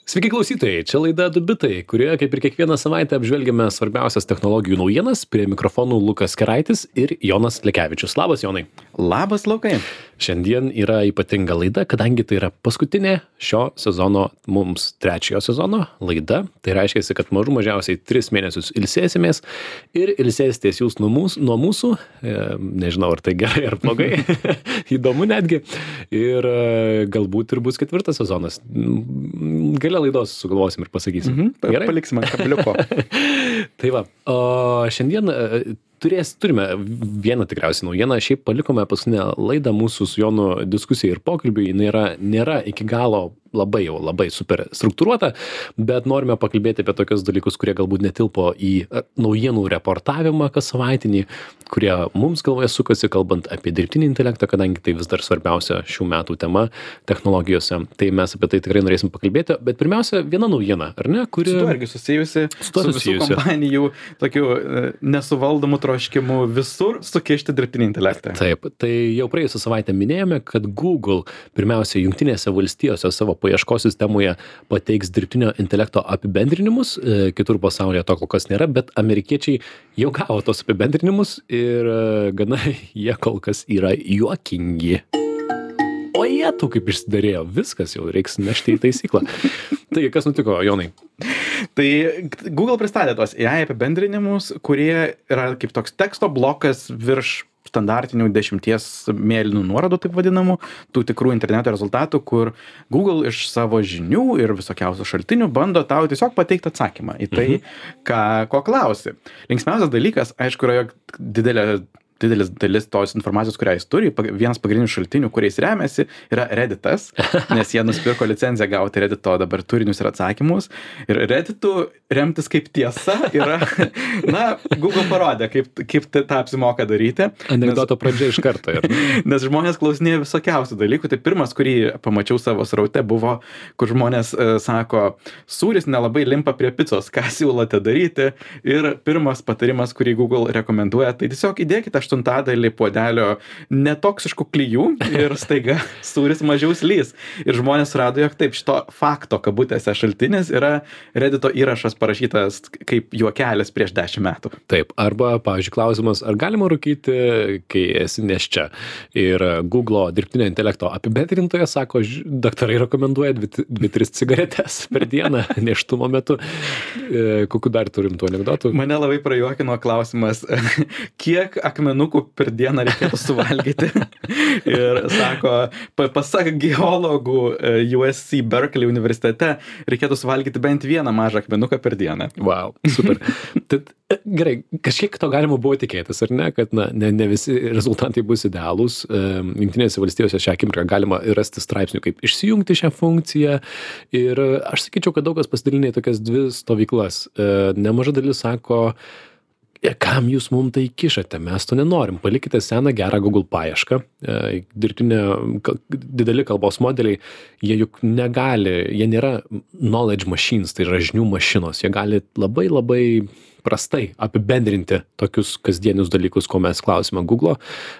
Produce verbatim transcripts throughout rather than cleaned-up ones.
Sveiki klausytojai, čia laida du bitai, kurioje kaip ir kiekvieną savaitę apžvelgiame svarbiausias technologijų naujienas. Prie mikrofonų Lukas Keraitis ir Jonas Lekevičius. Labas, Jonai. Labas, Lukai. Šiandien yra ypatinga laida, kadangi tai yra paskutinė šio sezono, mums trečiojo sezono laida. Tai reiškia, kad mažų mažiausiai tris mėnesius ilsėsimės ir ilsėsitės jūs nuo mūsų, nuo mūsų. E, nežinau, ar tai gerai ar blogai. Įdomu netgi. Ir e, galbūt ir bus ketvirtas sezonas. Gale laidos sugalvosim ir pasakysim. Mhm, Gerai? Paliksim ant kabliuko. Tai va, o šiandien turės, turime vieną tikriausiai naujieną. Šiaip palikome paskutinę laidą mūsų su Jonu diskusijai ir pokalbiui. Jis nėra, nėra iki galo labai jau labai super struktūruota, bet norime pakalbėti apie tokius dalykus, kurie galbūt netilpo į naujienų reportavimą kas savaitinį, kurie mums galvoje sukasi, kalbant apie dirbtinį intelektą, kadangi tai vis dar svarbiausia šių metų tema technologijose. Tai mes apie tai tikrai norėsim pakalbėti, bet pirmiausia, viena naujiena, ar ne? Kuri... Su tuo irgi susijusi, su, su visų kompanijų tokių nesuvaldomų troškimų visur sukišti dirbtinį intelektą. Taip, tai jau praėjusią savaitę minėjome, kad Google pirmiausia Jungtinėse valstijose savo paieškos sistemoje pateiks dirbtinio intelekto apibendrinimus, kitur pasaulyje to kol kas nėra, bet amerikiečiai jau gavo tos apibendrinimus ir gana jie kol kas yra juokingi. O jie tu kaip išsidarėjo, viskas jau reiks nešti į taisyklą. Taigi, kas nutiko, Jonai? Tai Google pristatė tos A I apibendrinimus, kurie yra kaip toks teksto blokas virš standartinių dešimties mėlynų nuorodų, taip vadinamų, tų tikrų interneto rezultatų, kur Google iš savo žinių ir visokiausių šaltinių bando tau tiesiog pateikti atsakymą į tai, ką, ko klausi. Linksmiausias dalykas, aišku, yra, jog didelė didelis dalis tos informacijos, kurią jis turi, vienas pagrindinių šaltinių, kuriais remiasi, yra Redditas, nes jie nusipirko licenciją gauti Reddito dabar turinius ir atsakymus. Ir Redditu remtis kaip tiesa yra, na, Google parodė, kaip, kaip tą apsimoka daryti. Anekdoto pradžia iš karto. Ir... nes žmonės klausinėja visokiausių dalykų. Tai pirmas, kurį pamačiau savo sraute, buvo, kur žmonės e, sako, sūris nelabai limpa prie picos, ką siūlote daryti. Ir pirmas patarimas, kurį Google rekomenduoja, tai tiesiog įdėkite aštuntadalį puodelio netoksiškų klijų ir staiga sūris mažiau slys. Ir žmonės rado, jog taip, šito fakto kabutėse šaltinis yra Reddito įrašas parašytas kaip juokelis prieš dešimt metų. Taip, arba, pavyzdžiui, klausimas, ar galima rūkyti, kai esi nėščia. Ir Google dirbtinio intelekto apibendrintojas sako, daktarai rekomenduoja dvi tris cigaretės per dieną nėštumo metu. Kokiu dar turim tų anekdotų? Mane labai prajuokino klausimas, kiek akmenų per dieną reikėtų suvalgyti. Ir sako, pasak geologų U S C Berkeley universitete, reikėtų suvalgyti bent vieną mažą akmenuką per dieną. Wow, super. Tad, gerai, kažkiek to galima buvo tikėtis, ar ne, kad na, ne, ne visi rezultatai bus idealūs. Jungtinėse valstijose šią akimirką galima rasti straipsnių, kaip išsijungti šią funkciją. Ir aš sakyčiau, kad daug kas pasidalinė tokias dvi stovyklas. Nemaža dalis sako, kam jūs mums tai kišate, mes to nenorim. Palikite seną gerą Google paiešką. Dirbtinė, dideli kalbos modeliai, jie juk negali, jie nėra knowledge machines, tai yra žinių mašinos. Jie gali labai labai prastai apibendrinti tokius kasdienius dalykus, ko mes klausime Google.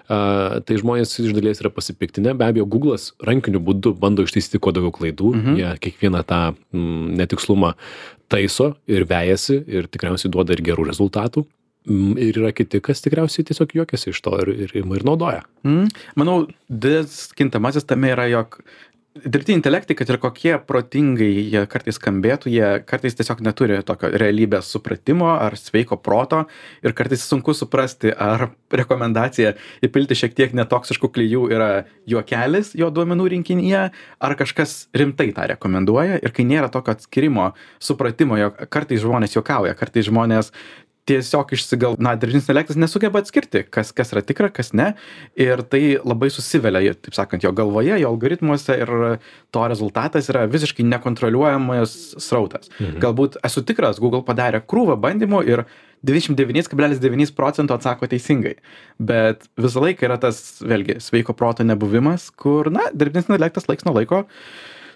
Uh, tai žmonės iš dalies yra pasipiktinę. Be abejo, Google'as rankiniu būdu bando ištaisyti kuo daugiau klaidų. Mhm. Jie kiekvieną tą mm, netikslumą taiso ir vejasi ir tikriausiai duoda ir gerų rezultatų. Ir yra kiti, kas tikriausiai tiesiog juokiasi iš to ir, ir, ir naudoja. Mm. Manau, didelis kintamasis tame yra, jog dirbtiniai intelektai, kad ir kokie protingai jie kartais skambėtų, jie kartais tiesiog neturi tokio realybės supratimo ar sveiko proto ir kartais sunku suprasti, ar rekomendacija įpilti šiek tiek netoksiškų klijų yra juokelis jo duomenų rinkinyje, ar kažkas rimtai tą rekomenduoja. Ir kai nėra tokio atskirimo, supratimo, jog kartais žmonės juokauja, kartais žmonės tiesiog išsigal, na, dirbtinis intelektas nesugeba atskirti, kas, kas yra tikra, kas ne. Ir tai labai susivelia, taip sakant, jo galvoje, jo algoritmuose ir to rezultatas yra visiškai nekontroliuojamas srautas. Mhm. Galbūt esu tikras, Google padarė krūvą bandymų ir devyniasdešimt devyni kablelis devyni procento atsako teisingai. Bet visą laiką yra tas, vėlgi, sveiko proto nebuvimas, kur, na, dirbtinis intelektas laiks nuo laiko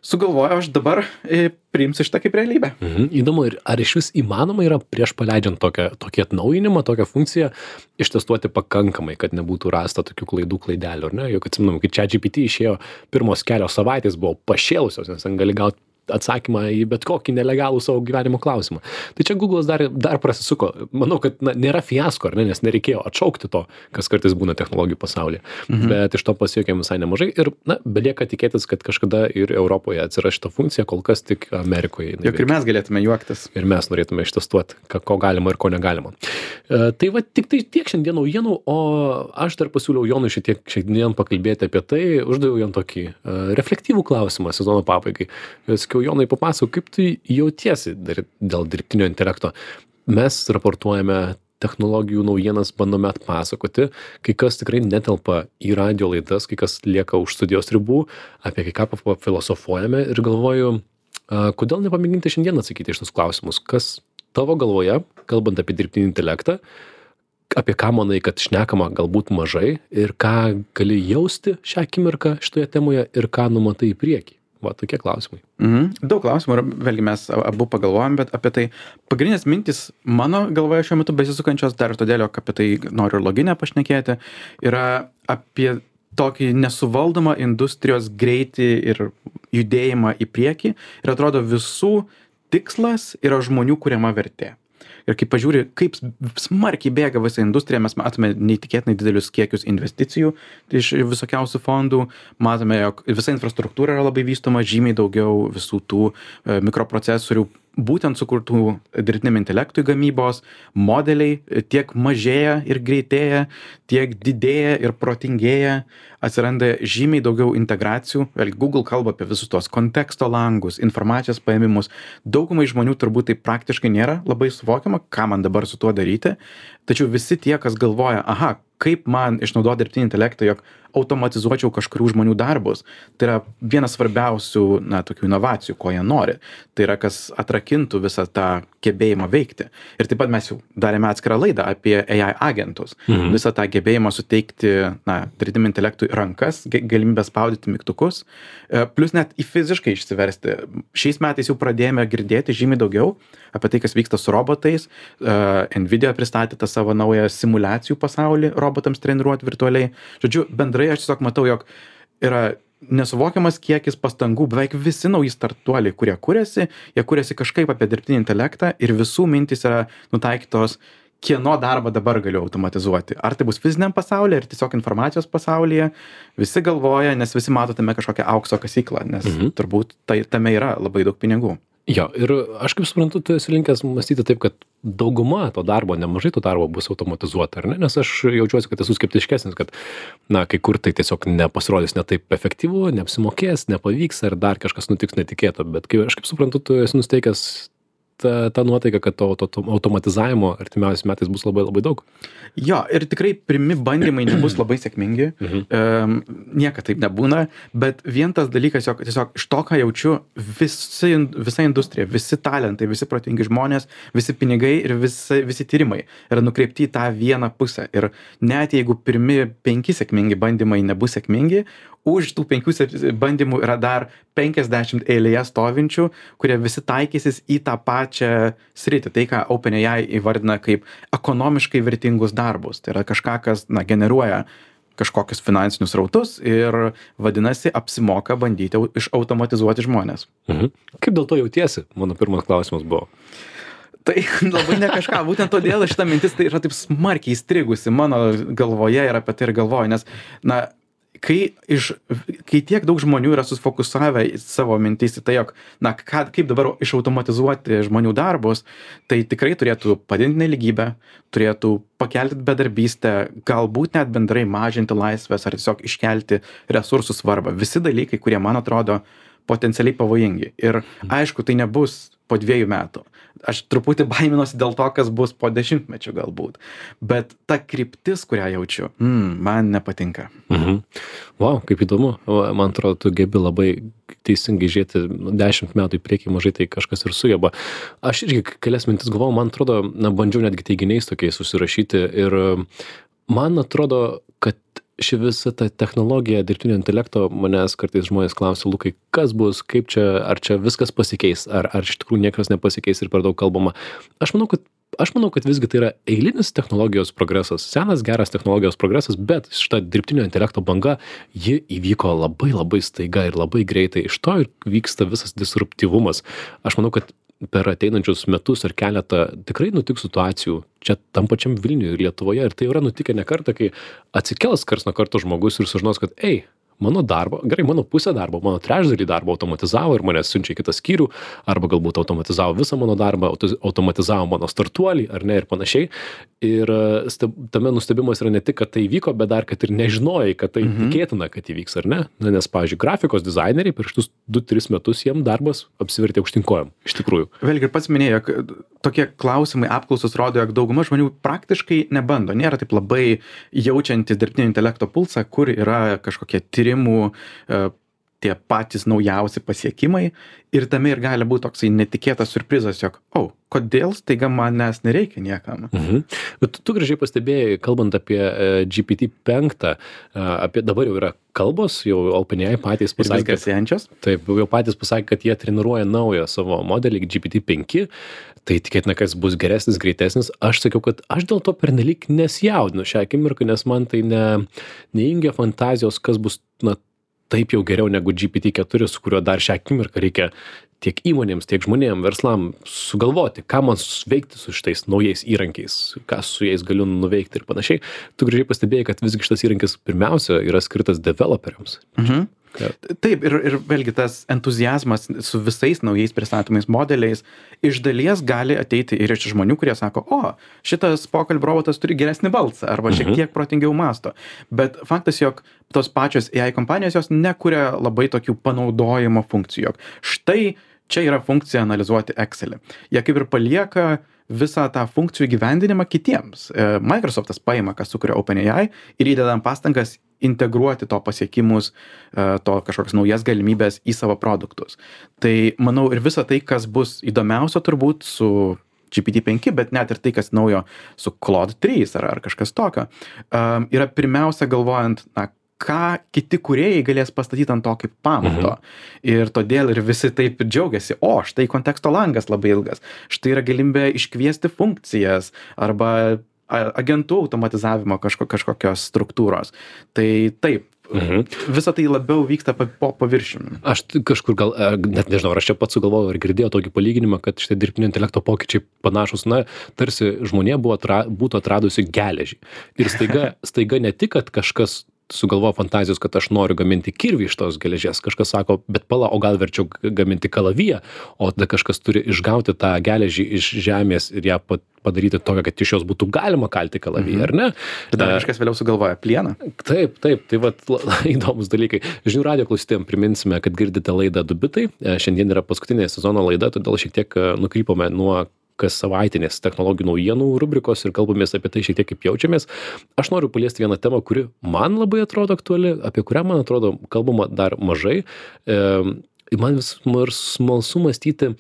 sugalvojo, aš dabar e, priimsiu šitą kaip realybę. Mhm. Įdomu, ir ar iš vis įmanoma yra prieš paleidžiant tokią, tokį atnaujinimą, tokią funkciją, ištestuoti pakankamai, kad nebūtų rasta tokių klaidų klaidelių, ar ne? Juk atsiminam, kai ChatGPT išėjo pirmos kelios savaitės buvo pašėlusios, nes ten gali gauti atsakymą į bet kokį nelegalų savo gyvenimo klausimą. Tai čia Google'as dar, dar prasisuko. Manau, kad na, nėra fiasko, ar ne, nes nereikėjo atšaukti to, kas kartais būna technologijų pasaulyje. Mhm. Bet iš to pasiekėm visai nemažai ir, na, belieka tikėtis, kad kažkada ir Europoje atsiras šita funkcija, kol kas tik Amerikoje. Juk ir mes galėtume juoktis. Ir mes norėtume ištestuoti, ko galima ir ko negalima. E, tai va, tik tai tiek šiandien naujienų, o aš dar pasiūliau Jonui šiek tiek šiandien pakalbėti apie tai, uždaviau jam tokį uh, reflektyvų klausimą sezono pabaigai. Sakiau, Jonai, papasakok, kaip tu jautiesi dar, dėl dirbtinio intelekto. Mes raportuojame technologijų naujienas, bandome atpasakoti, kai kas tikrai netelpa į radio laidas, kai kas lieka už studijos ribų, apie kai ką filosofuojame ir galvoju, uh, kodėl nepamėginti šiandien atsakyti iš tos klausimus, kas tavo galvoje, kalbant apie dirbtinį intelektą, apie ką manai, kad šnekama galbūt mažai ir ką gali jausti šią akimirką šitoje temoje ir ką numatai į priekį. Va, tokie klausimai. Mhm. Daug klausimų, ir vėlgi mes abu pagalvojam, bet apie tai pagrindinės mintis mano galvoje šiuo metu besisukančios, dar ir todėl, jog apie tai noriu ir loginę pašnekėti, yra apie tokį nesuvaldomą industrijos greitį ir judėjimą į priekį ir atrodo visų tikslas yra žmonių kuriama vertė. Ir kai pažiūri, kaip smarkiai bėga visa industrija, mes matome neįtikėtinai didelius kiekius investicijų iš visokiausių fondų, matome, jog visa infrastruktūra yra labai vystoma, žymiai daugiau visų tų mikroprocesorių, būtent sukurtų dirbtiniam intelektui gamybos, modeliai tiek mažėja ir greitėja, tiek didėja ir protingėja, atsiranda žymiai daugiau integracijų, vėlgi Google kalba apie visus tuos konteksto langus, informacijos paėmimus, daugumai žmonių turbūt tai praktiškai nėra labai suvokiama, ką man dabar su tuo daryti, tačiau visi tie, kas galvoja, aha, kaip man išnaudoti dirbtinį intelektą, jog automatizuočiau kažkurių žmonių darbus. Tai yra vienas svarbiausių, na, tokių inovacijų, ko jie nori. Tai yra, kas atrakintų visą tą gebėjimą veikti. Ir taip pat mes jau darėme atskirą laidą apie A I agentus. Mhm. Visą tą gebėjimą suteikti, na, dirbtiniam intelektui rankas, galimybę spaudyti mygtukus, plus net į fiziškai išsiversti. Šiais metais jau pradėjome girdėti žymiai daugiau apie tai, kas vyksta su robotais. Nvidia pristatė tą savo naują simulacijų pasaulį robotams treniruoti virtualiai. Žodžiu, bendrai aš tiesiog matau, jog yra nesuvokiamas kiekis pastangų, beveik visi nauji startuoliai, kurie kuriasi, jie kuriasi kažkaip apie dirbtinį intelektą ir visų mintys yra nutaikytos, kieno darbą dabar galiu automatizuoti. Ar tai bus fiziniam pasaulyje, ar tiesiog informacijos pasaulyje. Visi galvoja, nes visi mato tame kažkokią aukso kasyklą, nes mhm. turbūt tai, tame yra labai daug pinigų. Jo, ir aš kaip suprantu, tu esi linkęs mąstyti taip, kad dauguma to darbo, nemažai to darbo bus automatizuota, ar ne? Nes aš jaučiuosi, kad esu skeptiškesnis, kad, na, kai kur tai tiesiog nepasirodys ne taip efektyvu, neapsimokės, nepavyks, ar dar kažkas nutiks netikėto, bet kai, aš kaip suprantu, tu esi nusteikęs ta, ta nuotaika, kad to, to, to automatizavimo artimiausiais metais bus labai labai daug. Jo, ir tikrai pirmi bandymai nebus labai sėkmingi, mhm. um, niekad taip nebūna, bet vien tas dalykas, jog tiesiog iš to, ką jaučiu, visi, visa industrija, visi talentai, visi protingi žmonės, visi pinigai ir visi, visi tyrimai yra nukreipti į tą vieną pusę. Ir net jeigu pirmi penki sėkmingi bandymai nebus sėkmingi, už tų penkių bandymų yra dar penkiasdešimt eilėje stovinčių, kurie visi taikysis į tą pačią sritį. Tai, ką OpenAI įvardina kaip ekonomiškai vertingus darbus. Tai yra kažką, kas, na, generuoja kažkokius finansinius rautus ir vadinasi apsimoka bandyti išautomatizuoti žmonės. Mhm. Kaip dėl to jautiesi? Mano pirmas klausimas buvo. Tai labai ne kažką, būtent todėl šita mintis tai yra taip smarkiai įstrigusi mano galvoje ir apie tai ir galvoju, nes, na, kai, iš, kai tiek daug žmonių yra susifokusavę į savo mintis į tai, jog, na, ką, kaip dabar išautomatizuoti žmonių darbus, tai tikrai turėtų padidinti nelygybę, turėtų pakelti bedarbystę, galbūt net bendrai mažinti laisvės ar tiesiog iškelti resursų svarbą. Visi dalykai, kurie man atrodo potencialiai pavojingi. Ir aišku, tai nebus po dviejų metų. Aš truputį baiminosi dėl to, kas bus po dešimtmečių galbūt. Bet ta kryptis, kurią jaučiu, mm, man nepatinka. Mhm. Wow, kaip įdomu. Man atrodo, tu gebi labai teisingai žiūrėti dešimt metų į priekį, mažai tai kažkas ir sugeba. Aš irgi kelias mintis galvojau, man atrodo, na, bandžiau netgi teiginiais tokiais susirašyti ir man atrodo, kad ši visa ta technologija dirbtinio intelekto, manęs kartais žmonės klausia, Lukai, kas bus, kaip čia, ar čia viskas pasikeis, ar, ar iš tikrųjų niekas nepasikeis ir per daug kalbama. Aš manau, kad aš manau, kad visgi tai yra eilinis technologijos progresas, senas geras technologijos progresas, bet šita dirbtinio intelekto banga, ji įvyko labai labai staiga ir labai greitai. Iš to ir vyksta visas disruptyvumas. Aš manau, kad per ateinančius metus ar keletą tikrai nutiks situacijų čia tam pačiam Vilniuje ir Lietuvoje. Ir tai yra nutikę ne kartą, kai atsikels karts nuo karto žmogus ir sužinos, kad ei, mano darbo, gerai, mano pusę darbo, mano trečdalį darbo automatizavo ir mane siunčia į kitą skyrių, arba galbūt automatizavo visą mano darbą, automatizavo mano startuolį, ar ne, ir panašiai. Ir steb, tame nustebimas yra ne tik, kad tai vyko, bet dar, kad ir nežinojai, kad tai mhm. tikėtina, kad įvyks, ar ne. Na, nes, pavyzdžiui, grafikos dizaineriai per šitus du tris metus jiem darbas apsivertė aukštinkojom, iš tikrųjų. Vėlgi ir pats minėjo, jog tokie klausimai, apklausos rodo, jog dauguma žmonių praktiškai nebando, nėra taip labai jaučiantis dirbtinio intelekto pulsą, kur yra kažkokie tyrimų, tie patys naujausi pasiekimai ir tame ir gali būti toksai netikėtas surprizas, jog, o, oh, kodėl staiga manęs nereikia niekam. Mhm. Bet tu, tu gražiai pastebėjai, kalbant apie uh, G P T penki, uh, apie dabar jau yra kalbos, jau OpenAI patys pasakė, kad, taip, jau patys pasakė, kad jie treniruoja naują savo modelį G P T penki, tai tikėtina, kad jis bus geresnis, greitesnis. Aš sakiau, kad aš dėl to pernelyg nesijaudinu šią akimirką, nes man tai ne, neįjungia fantazijos, kas bus, na, taip jau geriau negu G P T keturi, su kuriuo dar šią akimirką reikia tiek įmonėms, tiek žmonėms, verslam sugalvoti, ką man veikti su šitais naujais įrankiais, ką su jais galiu nuveikti ir panašiai. Tu gražiai pastebėjai, kad visgi šitas įrankis pirmiausia yra skirtas developeriams. Mhm. Taip, ir, ir vėlgi tas entuziazmas su visais naujais pristatomais modeliais iš dalies gali ateiti ir iš žmonių, kurie sako, o, šitas pokalbių robotas turi geresnį balsą arba šiek tiek protingiau masto. Bet faktas, jog tos pačios A I kompanijos jos nekuria labai tokių panaudojimo funkcijų. Jog štai čia yra funkcija analizuoti Excelį. Jie kaip ir palieka visą tą funkcijų gyvendinimą kitiems. Microsoftas paima, kas sukuria OpenAI ir įdedam pastangas integruoti to pasiekimus, to kažkokias naujas galimybės į savo produktus. Tai manau ir visa tai, kas bus įdomiausio turbūt su G P T penki, bet net ir tai, kas naujo su Claude trys ar, ar kažkas tokio, yra pirmiausia galvojant, na, ką kiti kūrėjai galės pastatyti ant to kaip pamato. Mhm. Ir todėl ir visi taip džiaugiasi, o štai konteksto langas labai ilgas, štai yra galimybė iškviesti funkcijas arba agentų automatizavimo kažko, kažkokios struktūros. Tai taip, mhm. visa tai labiau vyksta po paviršiumi. Aš kažkur gal, net nežinau, ar aš čia pats sugalvojau ir girdėjau tokį palyginimą, kad šitie dirbtinio intelekto pokyčiai panašus, na, tarsi žmonė buvo atra, būtų atradusi geležį. Ir staiga, staiga ne tik, kad kažkas sugalvojo fantazijos, kad aš noriu gaminti kirvį iš tos geležies. Kažkas sako, bet pala, o gal verčiau gaminti kalaviją, o tada kažkas turi išgauti tą geležį iš žemės ir ją padaryti tokią, kad iš jos būtų galima kalti kalaviją, mhm. ar ne? Tada kažkas vėliau sugalvoja plieną. Taip, taip, tai vat įdomus dalykai. Žinių radijo klausytojams priminsime, kad girdite laidą Du bitai. Šiandien yra paskutinė sezono laida, todėl šiek tiek nukrypome nuo kas savaitinės technologijų naujienų rubrikos ir kalbamės apie tai šiek tiek kaip jaučiamės. Aš noriu paliesti vieną temą, kuri man labai atrodo aktuali, apie kurią, man atrodo, kalbama dar mažai. E, man vis smalsu mąstyti,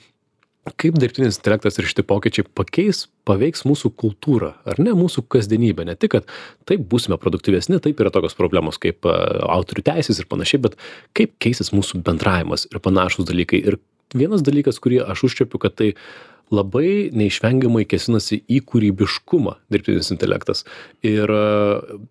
kaip dirbtinis intelektas ir šitie pokyčiai pakeis, paveiks mūsų kultūrą, ar ne, mūsų kasdienybę. Ne tik, kad taip būsime produktyvesni, taip yra tokios problemos kaip autorių teisės ir panašiai, bet kaip keisis mūsų bendravimas ir panašus dalykai. Ir vienas dalykas, kurį aš užčiapiu, kad tai labai neišvengiamai kėsinasi į kūrybiškumą dirbtinis intelektas. Ir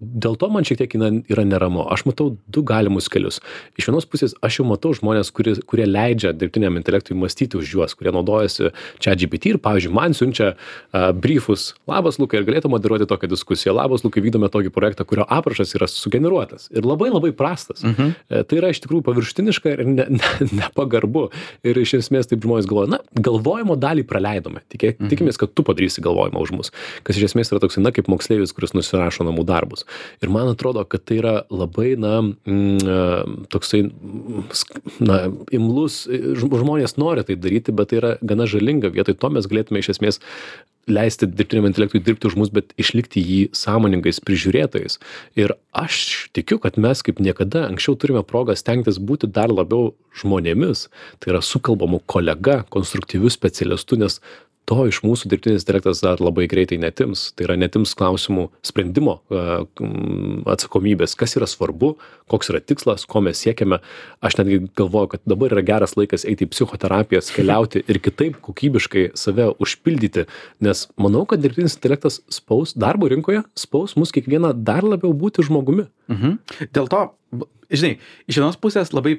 dėl to man šiek tiek yra neramu. Aš matau du galimus kelius. Iš vienos pusės aš jau matau žmonės, kurie, kurie leidžia dirbtiniam intelektui mąstyti už juos, kurie naudojasi ChatGPT ir, pavyzdžiui, man siunčia uh, briefus. Labas, Lukai, ir galėtų moderuoti tokią diskusiją. Labas, Lukai, vykdome tokį projektą, kurio aprašas yra sugeneruotas ir labai labai prastas. Mhm. Tai yra iš tikrųjų paviršutiniška ir ne, ne, nepagarbu. Ir iš esmės taip žmonės galvoja, na, galvojimo dalį praleidžiame. Tikė, mhm. Tikimės, kad tu padarysi galvojimą už mus, kas iš esmės yra toksai, na, kaip moksleivis, kuris nusirašo namų darbus. Ir man atrodo, kad tai yra labai, na, mm, toksai, na, imlus, žmonės nori tai daryti, bet tai yra gana žalinga. Vietoj to mes galėtume iš esmės leisti dirbtiniam intelektui dirbti už mus, bet išlikti jį sąmoningais prižiūrėtojais. Ir aš tikiu, kad mes kaip niekada anksčiau turime progą stengtis būti dar labiau žmonėmis. Tai yra sukalbamų kolega, konstruktyvių specialistų, nes to iš mūsų dirbtinis intelektas dar labai greitai netims. Tai yra netims klausimų sprendimo a, m, atsakomybės, kas yra svarbu, koks yra tikslas, ko mes siekiame. Aš netgi galvoju, kad dabar yra geras laikas eiti į psichoterapijas, keliauti ir kitaip kokybiškai save užpildyti, nes manau, kad dirbtinis intelektas spaus darbo rinkoje, spaus mus kiekvieną dar labiau būti žmogumi. Mhm. Dėl to, žinai, iš vienos pusės labai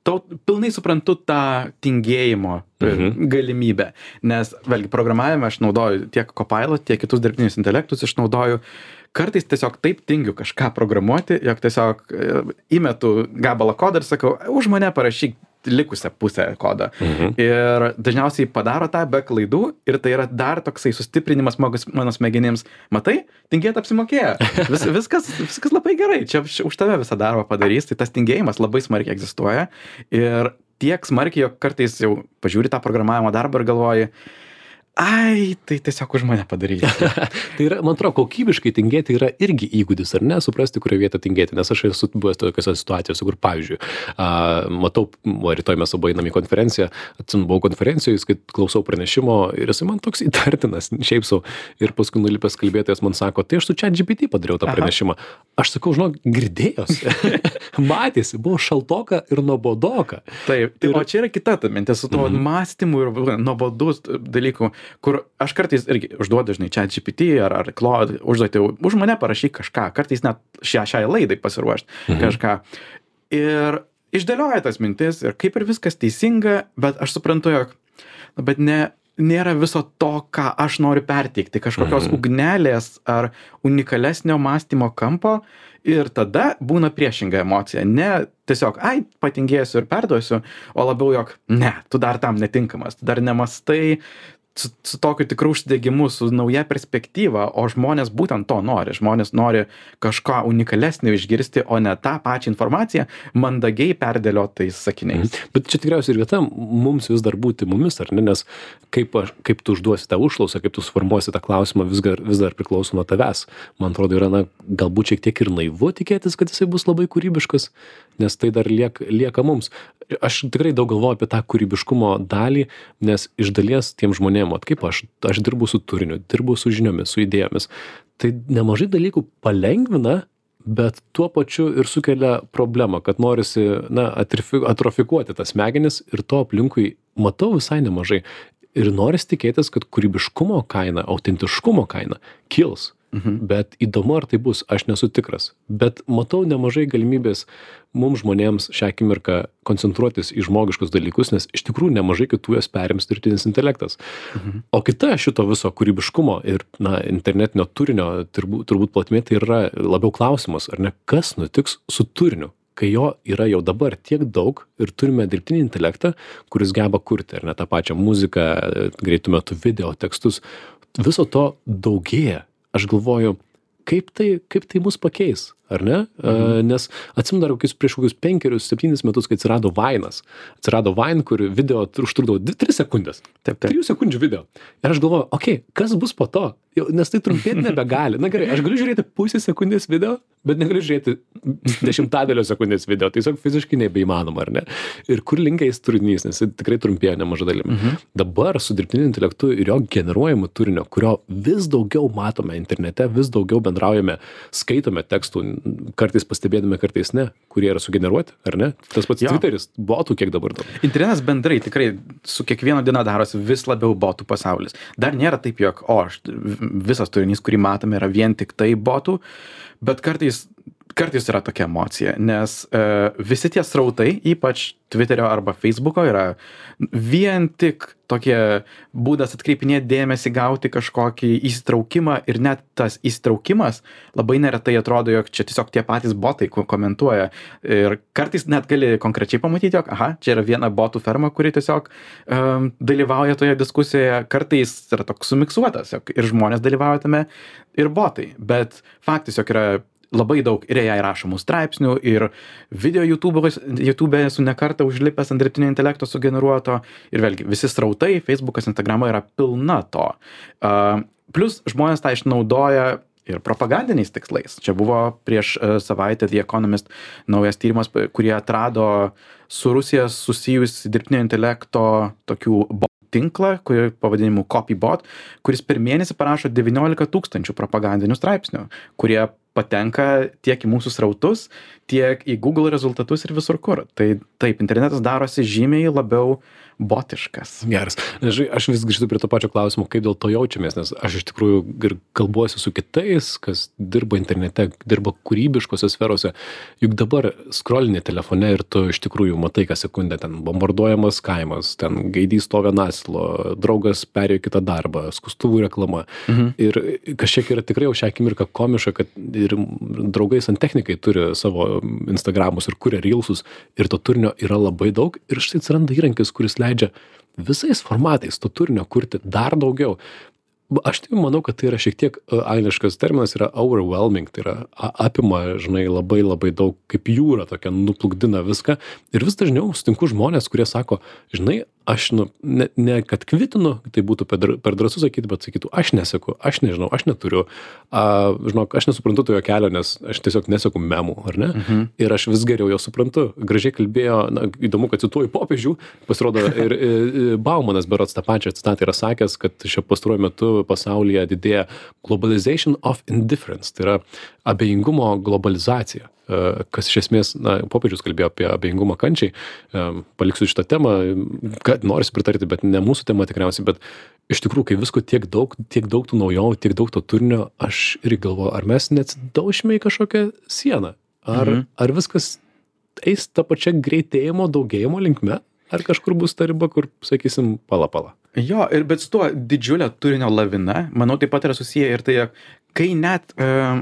tau pilnai suprantu tą tingėjimo Mhm. galimybę, nes vėlgi programavime aš naudoju tiek Copilot, tiek kitus dirbtinius intelektus išnaudoju. Kartais tiesiog taip tingiu kažką programuoti, jog tiesiog e, įmetu gabalą kodą ir sakau, už mane parašyk likusią pusę kodą. Mhm. Ir dažniausiai padaro tą be klaidų ir tai yra dar toksai sustiprinimas magos- mano smegenims. Matai, tingėt apsimokėjo. Vis, viskas, viskas labai gerai. Čia už už tave visą darbą padarys. Tai tas tingėjimas labai smarkiai egzistuoja. Ir tiek smarkiai, jog kartais jau pažiūri tą programavimo darbą ir galvoji, ai, tai tiesiog už mane padaryti. Tai yra, man atrodo, kokybiškai tingėti yra irgi įgūdis, ar ne, suprasti, kurioje vietoje tingėti, nes aš esu buvęs tokiose situacijose, kur, pavyzdžiui, a, matau, o rytoj mes abu einam į konferenciją, atsimenu, buvau konferencijoje, kai klausau pranešimo ir jisai man toks įtartinas, šiaip sau, ir paskui nulipęs kalbėtojas man sako, tai aš su ChatGPT padariau tą pranešimą. Aš sakau, žinok, girdėjosi, matėsi, buvo šaltoka ir nuobodoka. Taip, tai, Ir- o čia yra kita ta mintis su tuo Mhm. mąstymu ir nuobodus dalykų, kur aš kartais irgi užduodu, žinai, ChatGPT ar, ar Claude užduoti, už mane parašyk kažką, kartais net šią, šiai laidai pasiruošti Mhm. kažką. Ir išdėlioja tas mintis ir kaip ir viskas teisinga, bet aš suprantu, jog, nu, bet ne, nėra viso to, ką aš noriu perteikti, kažkokios Mhm. ugnelės ar unikalesnio mąstymo kampo. Ir tada būna priešinga emocija. Ne tiesiog, ai, patingėsiu ir perduosiu, o labiau, jog, ne, tu dar tam netinkamas, tu dar nemastai su, su tokiu tikru užsidegimu, su nauja perspektyva, o žmonės būtent to nori. Žmonės nori kažką unikalesnio išgirsti, o ne tą pačią informaciją mandagiai perdėliotais sakiniais. Bet čia tikriausiai ir vieta mums vis dar būti mumis, ar ne, nes kaip, aš, kaip tu užduosi tą užklausą, kaip tu suformuosi tą klausimą, vis dar, vis dar priklauso nuo tavęs. Man atrodo, yra, na, galbūt šiek tiek ir naivu tikėtis, kad jisai bus labai kūrybiškas, nes tai dar liek, lieka mums. Aš tikrai daug galvoju apie tą kūrybiškumo dalį, nes iš dalies tiem žmonėm, ot, kaip aš, aš dirbu su turiniu, dirbu su žiniomis, su idėjomis, tai nemažai dalykų palengvina, bet tuo pačiu ir sukelia problemą, kad norisi, na, atrifi- atrofikuoti tas smegenis ir to aplinkui matau visai nemažai. Ir norisi tikėtis, kad kūrybiškumo kaina, autentiškumo kaina kils. Mhm. Bet įdomu, ar tai bus, aš nesu tikras. Bet matau nemažai galimybės mums žmonėms šią akimirką koncentruotis į žmogiškus dalykus, nes iš tikrųjų nemažai kitų jas perims dirbtinis intelektas. Mhm. O kita šito viso kūrybiškumo ir, na, internetinio turinio turbūt, turbūt platmė tai yra labiau klausimas, ar ne, kas nutiks su turiniu, kai jo yra jau dabar tiek daug ir turime dirbtinį intelektą, kuris geba kurti, ar ne, tą pačią muziką, greitų metų video, tekstus. Viso to daugėja. Aš galvoju, kaip tai, kaip tai mus pakeis, ar ne? Mhm. Nes atsimenu dar kokius prieš kokius penkerius, septynis metus, kai atsirado Vainas. Atsirado Vain, kur video užtrukdavo tris sekundės. Taip, taip. Trijų sekundžių video. Ir aš galvoju, okei, okay, kas bus po to? Jau, nes tai trumpėti nebegali. Na gerai, aš galiu žiūrėti pusę sekundės video, bet negaliu žiūrėti dešimtadalio sekundės video. Tai tiesiog fiziškai nebeįmanoma, ar ne? Ir kur linkiais turinys, nes jis tikrai trumpėja nemaža dalimi. Mhm. Dabar su dirbtiniu intelektu ir jo generuojamu turinio, kurio vis daugiau matome internete, vis daugiau bendraujame, skaitome tekstų, kartais pastebėdami, kartais ne, kurie yra sugeneruoti, ar ne? Tas pats Jo. Twitteris, botų kiek dabar daug. Internetas bendrai tikrai su kiekviena diena darosi vis labiau botų pasaulis. Dar nėra taip, jog, o, aš, visas turinys, kurį matome, yra vien tik tai botų, bet kartais, kartais yra tokia emocija, nes e, visi tie srautai, ypač Twitterio arba Facebooko, yra vien tik tokie būdas atkreipinėti dėmesį, gauti kažkokį įsitraukimą ir net tas įsitraukimas labai neretai atrodo, jog čia tiesiog tie patys botai ko- komentuoja ir kartais net gali konkrečiai pamatyti, jog aha, čia yra viena botų ferma, kuri tiesiog um, dalyvauja toje diskusijoje, kartais yra toks sumiksuotas, jog ir žmonės dalyvauja tame ir botai, bet faktas, jog yra labai daug ir jai rašomų straipsnių ir video YouTube'o- YouTube esu ne kartą užlipęs ant dirbtinio intelekto sugeneruoto ir vėlgi visi srautai, Facebookas, Instagrama yra pilna to. Uh, plus žmonės tą išnaudoja ir propagandiniais tikslais. Čia buvo prieš uh, savaitę The Economist naujas tyrimas, p- kurie atrado su Rusija susijus dirbtinio intelekto tokių bo- tinklą, kurį pavadinimu Copybot, kuris per mėnesį parašo devyniolika tūkstančių propagandinių straipsnių, kurie patenka tiek į mūsų srautus, tiek į Google rezultatus ir visur kur. Tai taip, internetas darosi žymiai labiau botiškas. Geras. Žinai, aš vis grįžtu prie to pačio klausimo, kaip dėl to jaučiamės, nes aš iš tikrųjų ir kalbuosi su kitais, kas dirba internete, dirba kūrybiškose sferose. Juk dabar scrollini telefone ir tu iš tikrųjų matai, kas sekundę ten bombarduojamas kaimas, ten gaidys stovi ant asilo, draugas perėjo kitą darbą, skustuvų reklama. Mhm. Ir kažkiek yra tikrai jau šią akimirką komiška, kad ir draugai santechnikai turi savo Instagramus ir kuria reelsus ir to turinio yra labai daug ir štai atsiranda įrankis, kuris leidžia visais formatais to turinio kurti dar daugiau. Aš tai manau, kad tai yra šiek tiek angliškas terminas, yra overwhelming, tai yra apima, žinai, labai labai daug, kaip jūra tokia nuplukdina viską ir vis dažniau sutinku žmonės, kurie sako, žinai, aš, nu, ne, ne kad kvitinu, tai būtų per, per drąsu sakyti, bet sakytų, aš neseku, aš nežinau, aš neturiu, a, žinok, aš nesuprantu to jo kelio, nes aš tiesiog neseku memų, ar ne? Mhm. Ir aš vis geriau jo suprantu. Gražiai kalbėjo, na, įdomu, kad cituoju popiežių, pasirodo, ir, ir Baumanas berods tą pačią citatą yra sakęs, kad šio pastaruoju metu pasaulyje didėja globalization of indifference, tai yra abejingumo globalizacija. Kas iš esmės, na, popiežius kalbėjo apie abejingumą kančiai, paliksiu šitą temą, kad norisi pritarti, bet ne mūsų tema tikriausiai, bet iš tikrųjų, kai visko tiek daug, tiek daug tų naujovų, tiek daug to turinio, aš irgi galvoju, ar mes neatsidaušime į kažkokią sieną, ar, mhm. ar viskas eis tą pačią greitėjimo, daugėjimo linkme, ar kažkur bus ta riba, kur, sakysim, pala pala. Jo, ir bet su tuo didžiulio turinio lavina, manau, taip pat yra susiję ir tai, kai net um,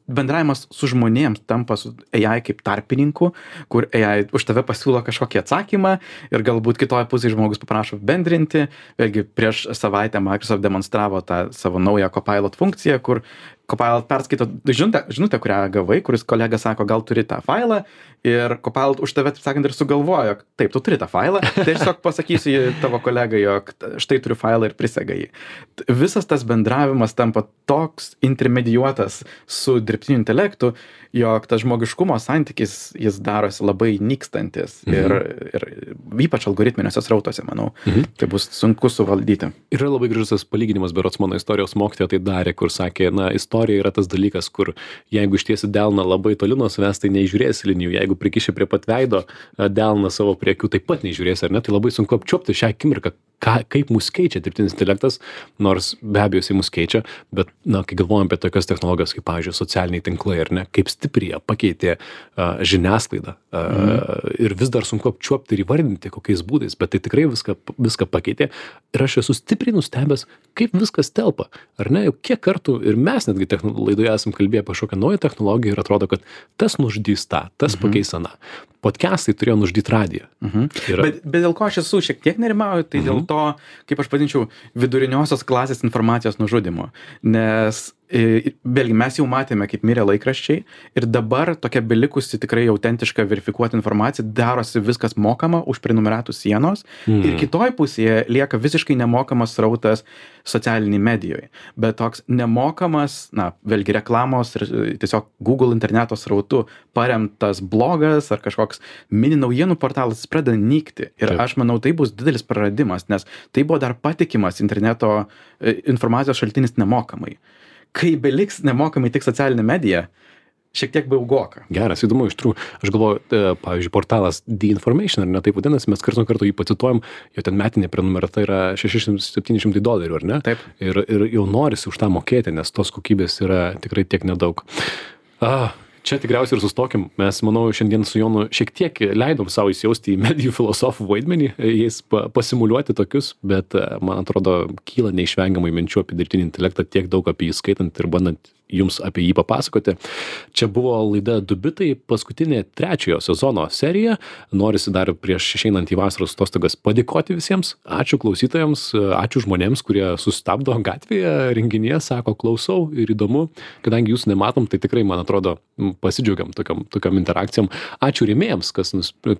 bendravimas su žmonėms tampa su A I kaip tarpininku, kur A I už tave pasiūlo kažkokį atsakymą ir galbūt kitoje pusėje žmogus paprašo bendrinti. Vėlgi prieš savaitę Microsoft demonstravo tą savo naują Copilot funkciją, kur Copilot perskaito žinutę, žinutę, kurią gavai, kuris kolega sako, gal turi tą failą ir Copilot už tave, taip sakant, ir sugalvojo, taip, tu turi tą failą, tai tiesiog pasakysiu tavo kolegai, jog štai turiu failą ir prisega jį. Visas tas bendravimas tampa toks intermedijuotas su dirbtiniu intelektu, jog tas žmogiškumo santykis jis darosi labai nykstantis mhm. ir, ir ypač algoritminiuose srautuose, manau, mhm. tai bus sunku suvaldyti. Yra labai gražus palyginimas, berods mano istorijos mokytoja tai darė, kur sakė, na, istorija yra tas dalykas, kur jeigu ištiesi delną labai toli nuo savęs, tai neižiūrėsi linijų, jeigu prikiši prie pat veido delną savo prie akių, taip pat neižiūrėsi, ar ne, tai labai sunku apčiuopti šią akimirką, ką, kaip mus keičia dirbtinis intelektas, nors be abejo jisai mus keičia, bet, na, kai galvojam apie tokias technologijas, kaip, pavyzdžiui, socialiniai tinklai, ar ne, kaip stipriai pakeitė uh, žiniasklaidą uh, mm. ir vis dar sunku apčiuopti ir įvardinti kokiais būdais, bet tai tikrai viską, viską pakeitė ir aš esu stipriai nustebęs, kaip viskas telpa, ar ne, jau kiek kartų ir mes netgi laidoje esam kalbėję apie kažkokią naują technologiją ir atrodo, kad tas nužudys tą, tas mm-hmm. pakeis aną. Podcastai turėjo nužudyti radiją. Mhm. Yra... Bet, bet dėl ko aš esu šiek tiek nerimauju, tai mhm. dėl to, kaip aš vadinčiau, viduriniosios klasės informacijos nužudimo. Nes vėlgi mes jau matėme, kaip mirė laikraščiai ir dabar tokia belikusi tikrai autentiška verifikuota informacija, darosi viskas mokama už prenumeratų sienos mm. ir kitoj pusėje lieka visiškai nemokamas srautas socialiniai medijoje. Bet toks nemokamas, na, vėlgi reklamos ir tiesiog Google interneto srautu paremtas blogas ar kažkoks mini naujienų portalas pradeda nykti. Ir Taip. Aš manau, tai bus didelis praradimas, nes tai buvo dar patikimas interneto informacijos šaltinis nemokamai. Kai beliks nemokamai tik socialinė medija, šiek tiek baugoka. Geras, įdomu, iš tikrųjų. Aš galvoju, pavyzdžiui, portalas The Information, ar ne taip vadinasi, mes kartu nuo karto jį pacituojam, jo ten metinė prenumerata yra šeši šimtai septyni šimtai dolerių, ar ne? Taip. Ir, ir jau norisi už tą mokėti, nes tos kokybės yra tikrai tiek nedaug. Ah. Čia tikriausiai ir sustokim. Mes, manau, šiandien su Jonu šiek tiek leidom savo įsijausti į medijų filosofų vaidmenį, jais pasimuliuoti tokius, bet, man atrodo, kyla neišvengiamai minčių apie dirbtinį intelektą, tiek daug apie jį skaitant ir bandant jums apie jį papasakoti. Čia buvo laida Du bitai, paskutinė trečiojo sezono serija. Norisi dar prieš išeinant į vasaros atostogas padėkoti visiems. Ačiū klausytojams, ačiū žmonėms, kurie sustabdo gatvėje renginyje, sako, klausau ir įdomu. Kadangi jūs nematom, tai tikrai, man atrodo, pasidžiaugiam tokiam, tokiam interakcijom. Ačiū rėmėjams, kas,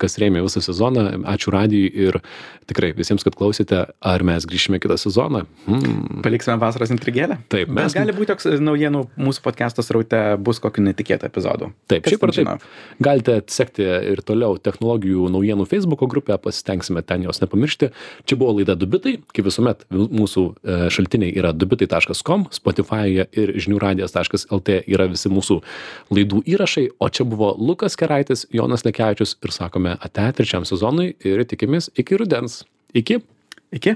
kas rėmė visą sezoną. Ačiū radijui ir tikrai visiems, kad klausėte. Ar mes grįšime kitą sezoną? Hmm. Paliksime vasaros intrigėlę? Taip. Mes... Bet gali būti toks naujienų mūsų podcast'o sraute bus kokių netikėtų epizodų. Taip, Kas šiaip ar ten žino? taip. Galite sekti ir toliau technologijų naujienų Facebook'o grupę, pasitengsime ten jos nepamiršti. Čia buvo laida Du bitai, kaip visuomet mūsų e, šaltiniai yra dubitai taškas com, Spotify'e ir žinių radijas taškas lt yra visi mūsų laidų įrašai, o čia buvo Lukas Keraitis, Jonas Lekevičius ir sakome ate trečiam sezonui ir tikimės iki rudens. Iki. Iki.